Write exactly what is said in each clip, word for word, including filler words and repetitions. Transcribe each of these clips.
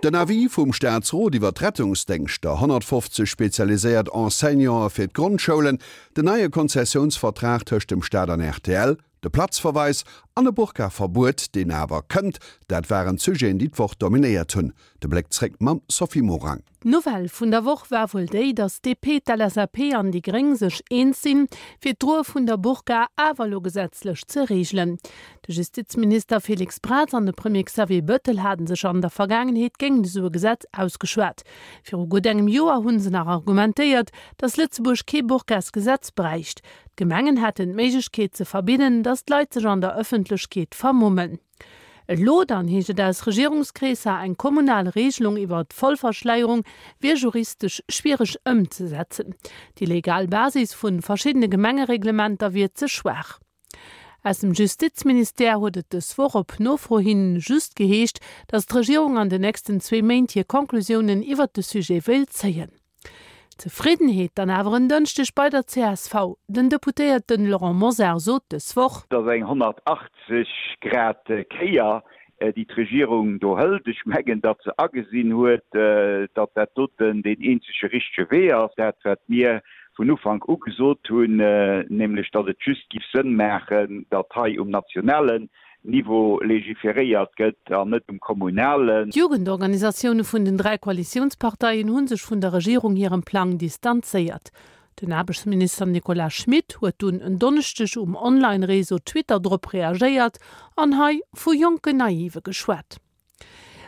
Den Avis vum Staatsrot iwwer d'Rettungsdéngschter, honnertfofzeg spezialiséiert Enseignanten fir d'Grondschoulen, den neie Konzessiounsvertrag tëscht dem Staat an rtl, de Platzverweis an e Burka-Verbuet, deen awer kënnt, dat waren d'Sujeten, déi d'Woch dominéiert hunn. De Bléck zréck mam Sophie Morang. D'Nouvelle vun der Woch war wuel déi, datt d'DP, d'LSAP an déi Gréng sech eens sinn, fir d'Droe vun der Burka awer elo gesetzlech ze reegelen. De Justizminister Félix Braz an de Premier Xavier Bëttel hate sech an der Vergaangenheet géint esou e Gesetz ausgeschwat. Viru gutt engem Joer hu se nach argumentéiert, datt Lëtzebuerg kee Burkasgesetz bräicht. D'Gemengen hätten d'Méiglechkeet ze verbidden, datt d'Leit sech an der Ëffentlechkeet vermummen. Elo dann heescht et aus Regierungskreesser, eng kommunal Regelung iwwer d'Vollverschleierung wier juristesch schwiereg ëmzesetzen. Déi legal Basis vu verschiddene Gemengereglementer wier ze schwaach. Aus dem Justizministère huet et dës Woch op Nofro hin just geheescht, datt d'Regierung an den nächsten zwee Méint hir Conclusiounen iwwert de Sujet wéilt zéien. Zefriddenheet dann awer en Dënschdeg bei der csv. Den Deputéierten Laurent Mosar sot dës Woch. Et ass eng honnertachtzeg Grad Kéier, déi d'Regierung do hëlt. Ech mengen, datt se agesinn huet, datt dat doten deen eenzege richtege Wee ass. Dat, wat mir vun Ufank u gesot hunn, nämlech datt et just giff Sënn maachen, datt hei um nationalen Niveau legiferéiert gëtt an net um kommunalen. D'Jugendorganisatioune vun den dräi Koalitiounsparteien hu sech vun der Regierung hirem Plang distanzéiert. Den Aarbechtsminister Nicolas Schmit huet dunn en Donneschdeg um Online-Réseau Twitter drop reagéiert an hei vu jonken Naive geschwat.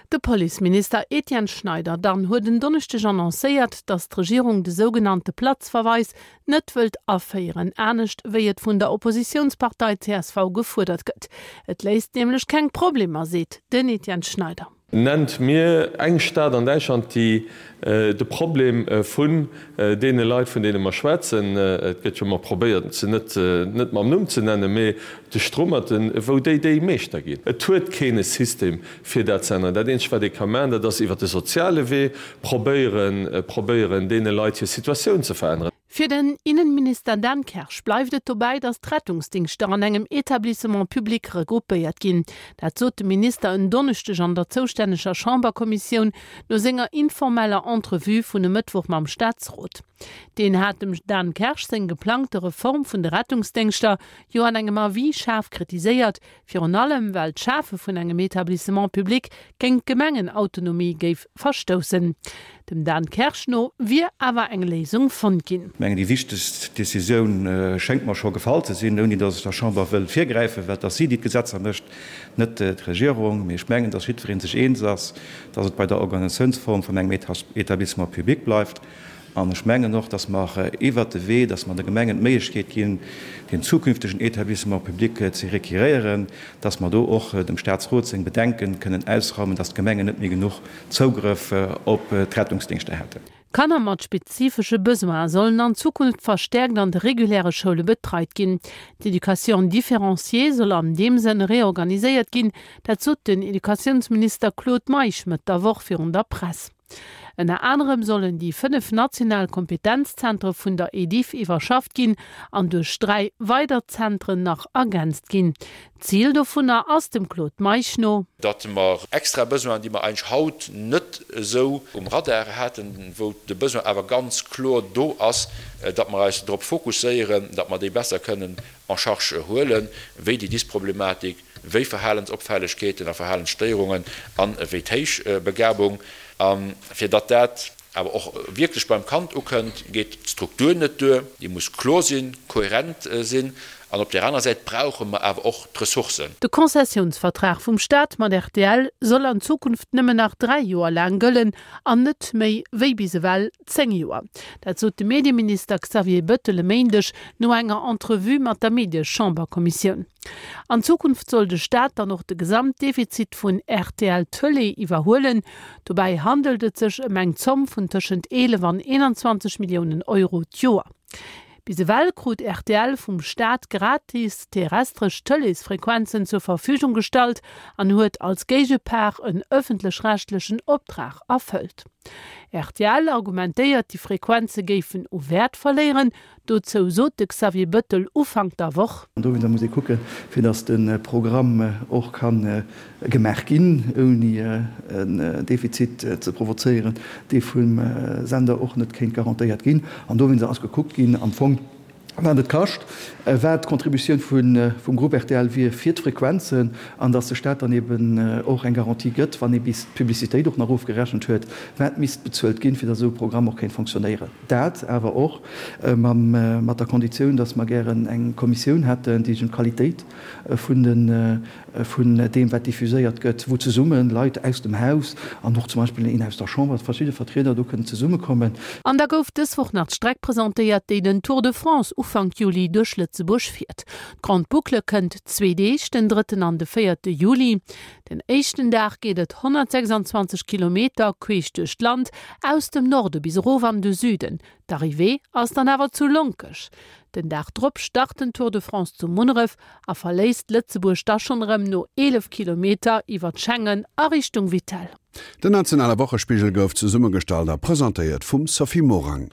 De Policeminister Etienne Schneider dann huet en Donneschdeg annoncéiert, datt d'Regierung de sougenannte Platzverweis net wëllt aféieren, anescht wéi et vun der Oppositiounspartei csv gefuerdert gëtt. Et léist nämlech keng Problemer, seet den Etienne Schneider. Nennt mir eng Stad an Däitschland, déi de Problem vun deene Leit, vun deene mer schwätzen, et gëtt jo ëmmer probéiert, se net net mam Numm ze nennen, mee de Strummerten, wou déi déi Meeschter ginn. Et huet keen e System, fir dat ze änneren. Dat eenzegt, wat ee ka maachen, dat ass iwwert de soziale Wee probéieren, probéieren, deene Leit hir Situatioun ze veränneren. Fir den Innenminister Dan Kersch bleift et dobäi, datt d'Rettungsdingschter an engem Etablissement public regroupéiert ginn. Dat sot de Minister en Donneschdeg an der zoustänneger Chamberkommissioun no senger informeller Entrevue vun e Mëttwoch mam Staatsrot. Deen hat dem Dan Kersch seng geplangte Reform vun de Rettungsdéngschter jo an engem Avis schaarf kritiséiert, virun allem well d'Schafe vun engem Etablissement public géint d'Gemengenautonomie géif verstoussen. Dem Dan Kersch no wier awer eng Léisung fonnt ginn. Ech mengen, déi wichtegst Décisioun schéngt mer scho gefall ze sinn, ouni datt ech der Chamber wëll virgräifen, well et ass si, déi d'Gesetzer mécht, net d'Regierung. Mee ech mengen, datt jiddweree sech eens ass, datt et bei der Organisatiounsform vun engem Etablissement public bleift. An ech mengen och, datt mer iwwert de Wee, datt mer de Gemengen d'Méiglechkeet ginn, deen zukünftegen Etablissement public ze requiréieren, datt mer do och dem Statsrot seng Bedenken kënnen ausraumen, datt d'Gemengen net méi genuch Zougrëff op d'Rettungsdingschter hätten. Kanner mat spezifesche Besoine sollen an Zukunft verstäerkt an de reguläre Schoule betreit ginn. D'Éducation différenciée soll an deem Sënn reorganiséiert ginn, dat sot den Educatiounsminister Claude Meisch Mëtt der Woch virun der Press. Ënner anerem sollen déi fënnef national Kompetenzzentre vun der Ediff iwwerschafft ginn an duerch dräi weider Zentren nach ergänzt ginn. D'Zil dovunner ass dem Claude Meisch no. Datt mer extra Besoinen, déi mer eigentlech haut net esou um Radar haten, wou de Besoin awer ganz kloer do ass, datt mer eis drop fokusséieren, datt mer déi besser kënnen en charge huelen, wéi déi Dysproblematik, wéi Verhalensopfällegkeeten a Verhalensstéierungen an wéi d'Héichbegabung. A fir datt dat awer och wierklech beim Kand ukënnt, geet d'Struktur net duer. Déi muss kloer sinn, kohärent sinn. An op där anerer Säit brauche mer awer och d'Ressourcen. De Konzessiounsvertrag vum Staat mat rtl soll an Zukunft nëmmen nach dräi Joer laang gëllen an net méi wéi bis ewell zéng Joer. Dat sot de Medieminister Xavier Bettel e Méindeg no enger Entrevue mat der Mediechamberkommissioun. An Zukunft soll de Staat dann och de Gesamtdefizit vun rtl Tëlee iwwerhuelen. Dobäi handelt et sech ëm eng Zomm vun tëschent eelef an eenanzwanzeg Milliounen Euro d'Joer. Bis ewell krut rtl vum Staat gratis terrestresch Tëleesfrequenzen zur Verfügung gestallt an huet als Géigepart en ëffentlech-rechtlechen Optrag erfëllt. Rtl argumentéiert, déi Frequenze géifen u Wäert verléieren. Dozou sot de Xavier Bëttel Ufank der Woch. An dowéinster muss ee kucken, fir datt de Programm och ka gemaach ginn, ouni en Defizit ze provozéieren, dee vum Sender och net kéint garantéiert ginn. An dowéinster ass gekuckt ginn am Fong, wat et kascht, wat d'Contributioun vum Groupe rtl wier fir d'Frequenzen, an datt de Staat dann eben och eng Garantie gëtt, wann ee bis d'Publicitéit och nach ofgerechent huet, wat misst bezuelt ginn, fir datt esou e Programm och kéint fonctionnéieren. Dat awer och mat der Konditioun, datt mer gären eng Kommissioun hätten, déi sech ëm d'Qualitéit vun de vun deem wat diffuséiert gëtt, wou zesumme Leit aus dem Haus an och zum Beispill een aus der Chamber, verschidde Vertrieder do kënnen zesummekommen. An da gouf dës Woch nach d'Streck presentéiert, déi den Tour de France Ufank Juli duerch Lëtzebuerg fiert. D'Grande Boucle kënnt zwee Deeg, den drëtten an de véierte Juli. Den éischten Dag geet et honnertsechsandzwanzeg Kilometer queesch duerch d'Land, aus dem Norde bis erof an de Süden. D'Arrivée ass dann awer zu Lonkech. Den Dag drop start den Tour de France zu Munneref a verléisst Lëtzebuerg da schonn erëm no eelef Kilometer iwwer Schengen a Richtung Vittel. Den nationale Wochespigel gouf zesummegestallt a presentéiert vum Sophie Morang.